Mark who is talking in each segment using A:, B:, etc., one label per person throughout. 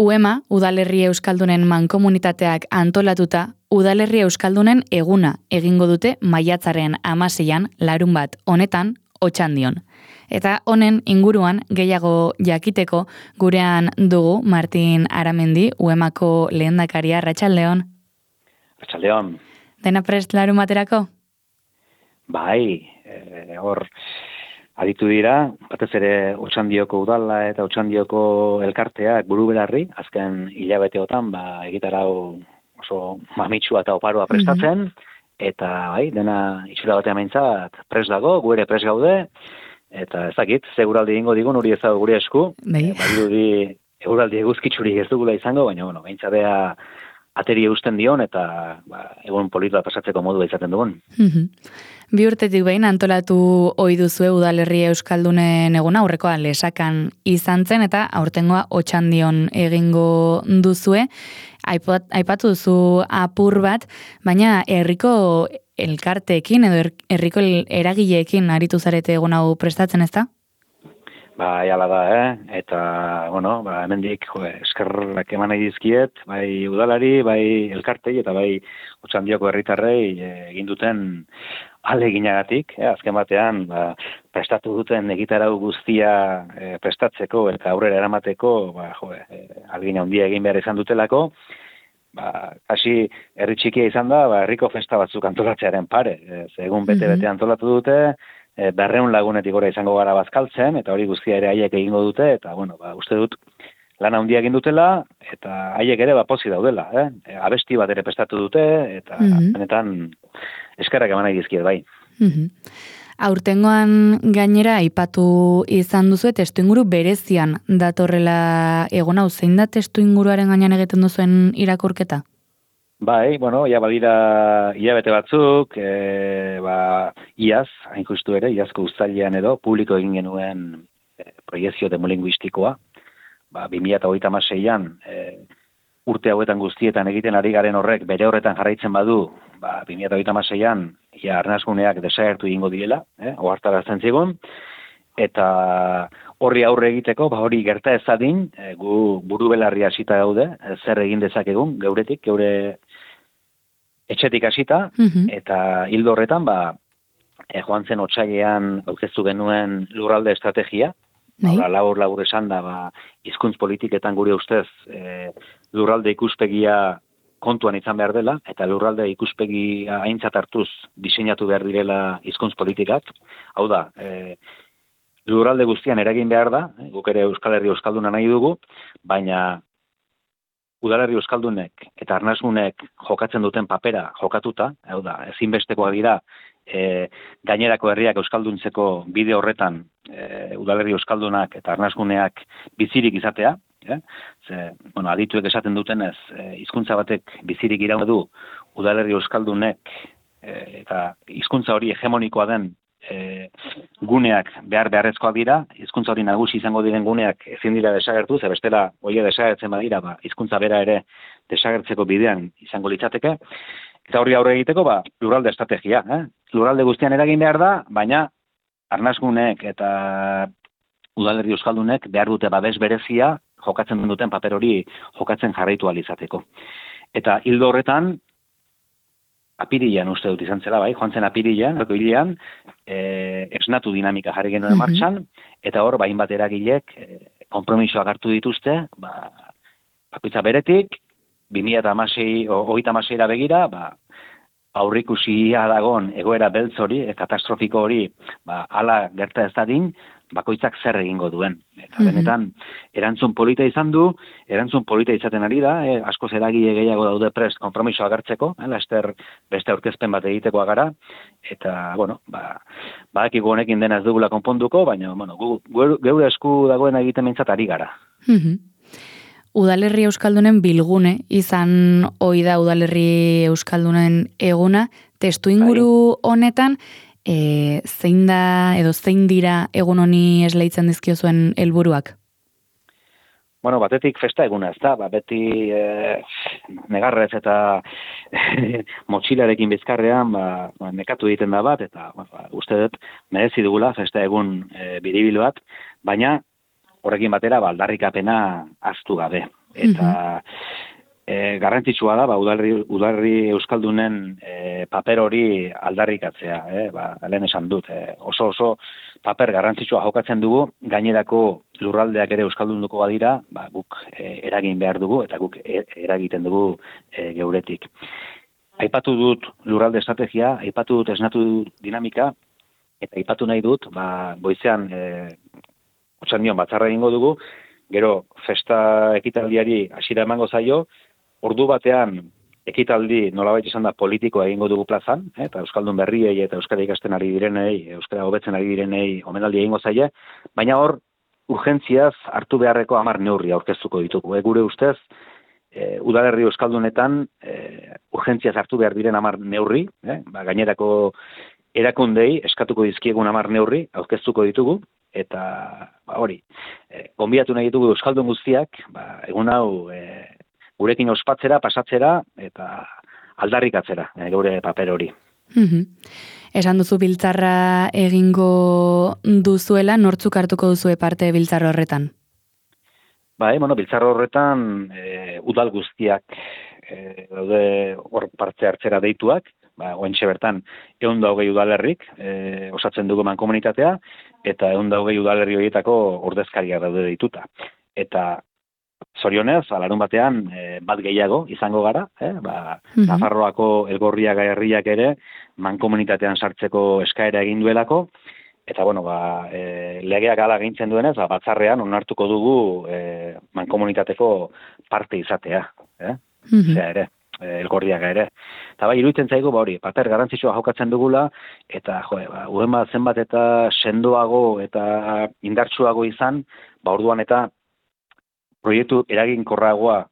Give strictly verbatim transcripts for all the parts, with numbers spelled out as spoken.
A: UEMA, Udalerri Euskaldunen mankomunitateak antolatuta, Udalerri Euskaldunen eguna egingo dute maiatzaren hamaseian larun bat honetan Otxandion. Eta honen inguruan gehiago jakiteko gurean dugu Martin Aramendi, UEMako lehendakaria. Arratsaldeon.
B: Arratsaldeon.
A: Dena prest larun baterako?
B: Bai, e, hor aditu dira, batez ere Otxandioko udala eta Otxandioko elkarteak buru belarri, azken hilabeteotan ba, egitarau oso mamitsua eta oparoa prestatzen, mm-hmm. eta bai, dena itxura batean behintzat prest dago, gu ere prest gaude, eta ez dakit, seguraldi egingo digun hori ez dago gure esku,
A: bai.
B: E, badirudi eguraldi eguzkitzurik ez dugula izango, baina bueno, behintzatea ateri eusten dion eta ba, egun polita pasatzeko modua izaten dugun.
A: Mm-hmm. Bi urtetik behin antolatu ohi duzue Udalerri Euskaldunen eguna, aurrekoa Lesakan izan zen eta aurtengoa Otxandion egingo duzue. Aipat, aipatu duzu apur bat, baina herriko elkarteekin edo herriko eragileekin aritu zarete egun hau prestatzen, ezta?
B: Bai, ala da, eh? Eta, bueno, ba, hemendik jo, eskerrak eman nahi dizkiet, bai udalari, bai elkartei, eta bai Otxandioko herritarrei egin duten aleginagatik, eh? Azken batean, ba, prestatu duten egitarau guztia eh, prestatzeko eta aurrera eramateko, ba, jo, eh, alegina handia egin behar izan dutelako, ba, hasi herri txikia izan da, ba, herriko festa batzuk antolatzearen pare, ez, egun bete-bete antolatu dute, E, berreun lagunetik gora izango gara bazkaltzen, eta hori guztia ere haiek egingo dute, eta bueno, ba, uste dut lan handia egin dutela, eta haiek ere ba, pozi daudela, eh? E, abesti bat ere prestatu dute, eta mm-hmm. benetan eskerrak eman nahi dizkiet, bai.
A: Mm-hmm. Aurtengoan gainera aipatu izan duzu, testu inguru berezian datorrela egon hau, zein da testu inguruaren gainean egiten duzuen irakurketa?
B: Bai, bueno, ia badira hilabete batzuk, e, ba, iaz, hain justu ere, iazko uztailean edo, publiko egin genuen e, proiezio demolinguistikoa, ba, bi mila hogeita hamaseian e, urte hauetan guztietan egiten ari garen horrek bere horretan jarraitzen badu, ba, bi mila hogeita hamaseian ia arnasguneak desagertu egingo direla, eh, ohartarazten zigun, eta horri aurre egiteko, ba, hori gerta ezadin, e, gu buru belarri hasita gaude, e, zer egin dezakegun, geuretik, geure etxetik hasita, mm-hmm. eta hildo horretan, ba, e, joan zen otsailean aurkeztu genuen lurralde estrategia, bai. labur labur esan da, ba, hizkuntz politiketan gure ustez e, lurralde ikuspegia kontuan izan behar dela, eta lurralde ikuspegia aintzat hartuz diseinatu behar direla hizkuntz politikak. Hau da, e, lurralde guztian eragin behar da, e, guk ere Euskal Herri Euskalduna nahi dugu, baina Udalerri Euskaldunek eta Arnasgunek jokatzen duten papera jokatuta, hau da, ezinbestekoa dira e, gainerako herriak euskalduntzeko bide horretan e, Udalerri Euskaldunak eta Arnasguneak bizirik izatea, eh? Ze, bueno, adituek esaten dutenez, e, hizkuntza batek bizirik iraun du Udalerri Euskaldunek e, eta hizkuntza hori hegemonikoa den E, guneak behar beharrezkoak dira, hizkuntza hori nagusi izango diren guneak ezin dira desagertu, ze bestela hoia desagertzen badira, ba, hizkuntza bera ere desagertzeko bidean izango litzateke, eta horri aurre egiteko, ba, lurralde estrategia, eh? Lurralde guztian eragin behar da, baina Arnasgunek eta Udalerri Euskaldunek behar dute babes berezia jokatzen duten paper hori jokatzen jarraitu ahal izateko. Eta hildo horretan, apirilean uste dut izan zela, bai, joan zen apirilean, hilean, e, esnatu dinamika jarri genuen mm-hmm. martxan, eta hor, bain bat eragilek, e, konpromisoak hartu dituzte, ba, bakoitza beretik, bi mila hamasei, hogeita hamaseira begira, ba, aurrikusia dagon egoera beltz hori, e, katastrofiko hori, ba, ala gerta ez dadin, bakoitzak zer egingo duen. Eta mm-hmm. benetan, erantzun polita izan du, erantzun polita izaten ari da, eh, askoz eragile gehiago daude prest konpromisoa agertzeko, eh, laster beste aurkezpen bat egitekoa gara, eta, bueno, ba, badakigu honekin dena ez dugula konponduko, baina, bueno, gu, gu, geure esku dagoen egiten mintzat ari gara.
A: Mm-hmm. Udalerri Euskaldunen bilgune, izan ohi da Udalerri Euskaldunen eguna, testu inguru honetan, E, zein da edo zein dira egun honi esleitzen dizkiozuen helburuak?
B: Bueno, batetik festa eguna ez da, ba, beti e, negarrez eta motxilarekin bizkarrean ba, ba, nekatu egiten da bat, eta ba, uste dut merezi dugula festa egun e, biribil bat, baina horrekin batera ba, aldarrikapena ahaztu gabe. Eta e, garrantzitsua da, ba, udalerri, udalerri euskaldunen e, paper hori aldarrikatzea, eh? Ba, lehen esan dut, e, oso oso paper garrantzitsua jokatzen dugu, gainerako lurraldeak ere euskaldunduko badira, ba, guk e, eragin behar dugu, eta guk e, eragiten dugu e, geuretik. Aipatu dut lurralde estrategia, aipatu dut esnatu dinamika, eta aipatu nahi dut, ba, goizean e, otxandion batzarra egingo dugu, gero festa ekitaldiari hasiera emango zaio, ordu batean ekitaldi nolabait izan da politikoa egingo dugu plazan, eh, eta euskaldun berriei eta euskara ikasten ari direnei, euskara hobetzen ari direnei omenaldi egingo zaie, baina hor urgentziaz hartu beharreko hamar neurri aurkeztuko ditugu. E, gure ustez, e, udalerri euskaldunetan e, urgentziaz hartu behar diren hamar neurri, eh, ba, gainerako erakundei eskatuko dizkiegun hamar neurri aurkeztuko ditugu, eta ba, hori, e, gonbidatu nahi ditugu euskaldun guztiak, ba, egun hau e, gurekin ospatzera, pasatzera, eta aldarrikatzera, e, gure paper hori.
A: Mm-hmm. Esan duzu biltzarra egingo duzuela, nortzuk hartuko duzue parte biltzar horretan?
B: Ba, e, bueno, biltzar horretan e, udal guztiak e, daude hor parte hartzera deituak, ba, oentxe bertan, ehun da hogei udalerrik e, osatzen dugu mankomunitatea, eta ehun da hogei udalerri horietako ordezkariak daude deituta. Eta zorionez, alarun batean, e, bat gehiago izango gara, eh? Ba, mm-hmm. Nafarroako Elgorriak herriak ere mankomunitatean sartzeko eskaera egin duelako, eta bueno, ba, e, legeak ala gintzen duenez, ba, batzarrean onartuko dugu e, mankomunitateko parte izatea, eh? Mm-hmm. Zea ere. Elgorriaga ere. Eta bai, iruditzen zaigu, ba hori, paper garrantzitsua jokatzen dugula, eta jo, ba, uema zenbat eta sendoago eta indartsuago izan, ba orduan eta proiektu eraginkorragoa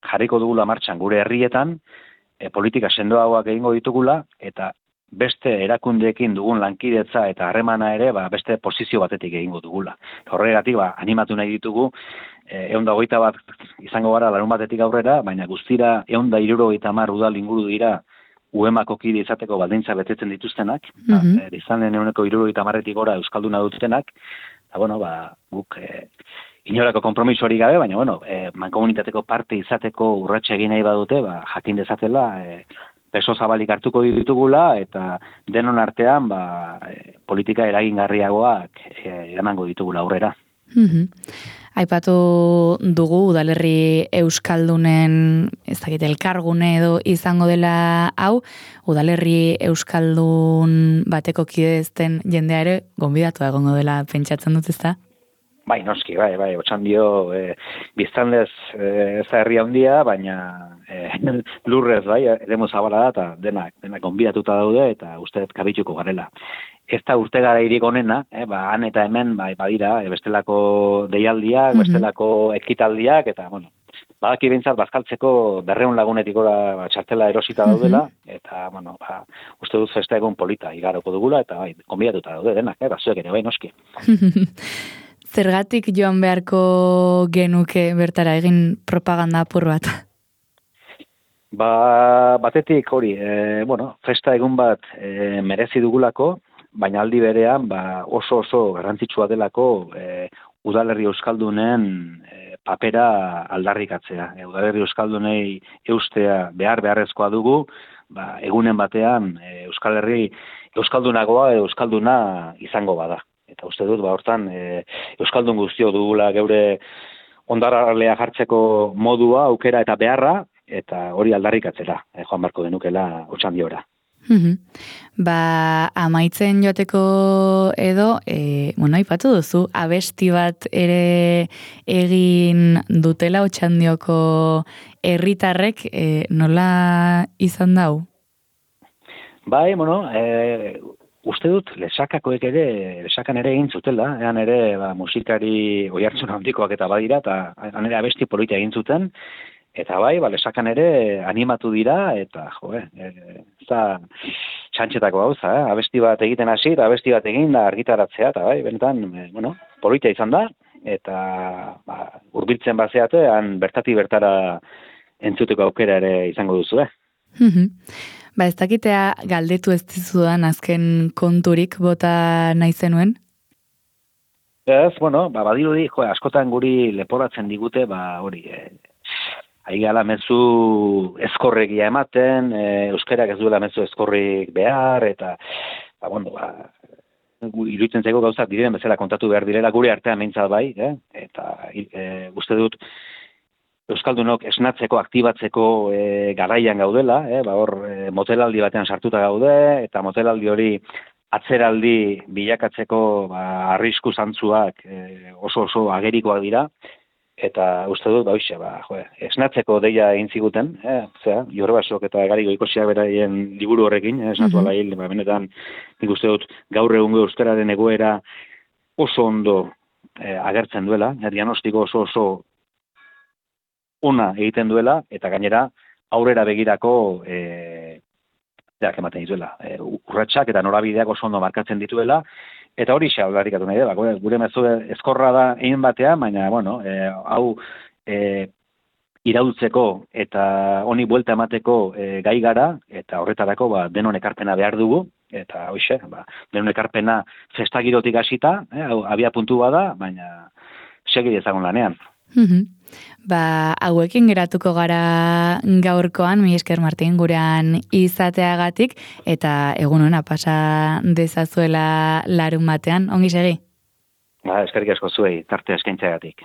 B: jarriko dugula martxan gure herrietan, e, politika sendoagoak egingo ditugula, eta beste erakundeekin dugun lankidetza eta harremana ere, ba, beste posizio batetik egingo dugula. Horregatik, ba, animatu nahi ditugu, ehun da hogeita bat izango gara larun batetik aurrera, baina guztira ehun da hirurogeita hamar udal inguru dira uemako kide izateko baldintza betetzen dituztenak, mm-hmm. ba, e, izan den ehuneko hirurogeita hamarretik gora euskalduna dutenak, eta bueno, ba, guk e, inorako konpromiso hori gabe, baina bueno, e, mankomunitateko parte izateko urratxe egin nahi badute, ba, jakin dezatela, e, peso zabalik hartuko ditugula, eta denon artean ba, e, politika eragingarriagoak e, emango ditugula aurrera.
A: Mm-hmm. Aipatu dugu udalerri euskaldunen, ez dakit, elkargune edo izango dela hau, udalerri euskaldun bateko kide ezten jendea ere gonbidatu egongo dela pentsatzen dut, ezta?
B: Bai, noski, bai, bai, otxandio e, biztanlez e, ez da herria handia, baina e, lurrez, bai, eremu zabala da, eta denak, denak gonbidatuta daude, eta uste kabituko garela. Ez da urte gara irik onena, eh, ba, han eta hemen, bai, badira, e, bestelako deialdiak, mm-hmm. bestelako ekitaldiak, eta, bueno, badaki bintzat, bazkaltzeko berreun lagunetik gora ba, txartela erosita daudela, mm-hmm. eta, bueno, ba, uste dut festa egun polita igaroko dugula, eta, bai, gonbidatuta daude denak, eh, bazuek ere, bai, noski.
A: Zergatik joan beharko genuke bertara egin propaganda apur bat?
B: Ba, batetik hori, e, bueno, festa egun bat e, merezi dugulako, baina aldi berean ba, oso oso garrantzitsua delako e, udalerri euskaldunen e, papera aldarrikatzea. E, udalerri euskaldunei eustea behar beharrezkoa dugu, ba, egunen batean e, Euskal Herri euskaldunagoa edo euskalduna izango bada. Eta uste dut, ba, hortan, e, euskaldun guztio dugula geure ondarralea jartzeko modua, aukera eta beharra, eta hori aldarrikatzera, e, joan barko denukela otxandiora.
A: Mm-hmm. Ba, amaitzen joateko edo, e, bueno, aipatu duzu, abesti bat ere egin dutela otxandioko herritarrek, e, nola izan dau?
B: Bai, bueno, e, uste dut, lesakakoek ere, lesakan ere egin zutela, ean ere ba, musikari oihartzun handikoak eta badira, eta han ere abesti polita egin zuten, eta bai, ba, lesakan ere animatu dira, eta jo, e, ez da txantxetako gauza, eh? Abesti bat egiten hasi, eta abesti bat egin da argitaratzea, eta bai, benetan, e, bueno, polita izan da, eta ba, hurbiltzen bazeate, han bertati bertara entzuteko aukera ere izango duzu, eh?
A: Ba, ez dakitea galdetu ez dizudan azken konturik bota nahi zenuen?
B: Ez, bueno, ba, badirudi, jo, askotan guri leporatzen digute, ba, hori, e, aigala mezu eskorregia ematen, e, euskarak ez duela mezu eskorrik behar, eta, ba, bueno, ba, iruditzen zego gauzak diren bezala kontatu behar direla gure artean meintzat bai, eh? Eta e, uste dut euskaldunok esnatzeko, aktibatzeko e, garaian gaudela, eh? Ba, hor e, motelaldi batean sartuta gaude, eta motelaldi hori atzeraldi bilakatzeko ba, arrisku zantzuak e, oso oso agerikoak dira, eta uste dut, ba, hoxe, ba, jo, esnatzeko deia egin ziguten, eh? Zera, Jorbasok eta Gariko Ikosiak beraien liburu horrekin, eh? Esnatu ala hil, ba, benetan, nik uste dut, gaur egungo euskararen egoera oso ondo eh, agertzen duela, eh? Diagnostiko oso oso ona egiten duela, eta gainera, aurrera begirako eh, deak ematen dituela. E, urratsak eta norabideak oso ondo markatzen dituela, eta hori xa aldarrikatu nahi dela. Gure mezu eskorra da egin batean, baina, bueno, e, hau e, iraultzeko eta honi buelta emateko e, gai gara, eta horretarako ba, denon ekarpena behar dugu, eta hoxe, ba, denon ekarpena festagirotik hasita, e, abia puntu bada, baina segi ezagun lanean.
A: Mm-hmm. Ba, hauekin geratuko gara gaurkoan, mi esker Martin, gurean izateagatik, eta egun hona pasa dezazuela larun batean, ongi segi?
B: Ba, eskerrik asko zuei, tartea eskaintzeagatik.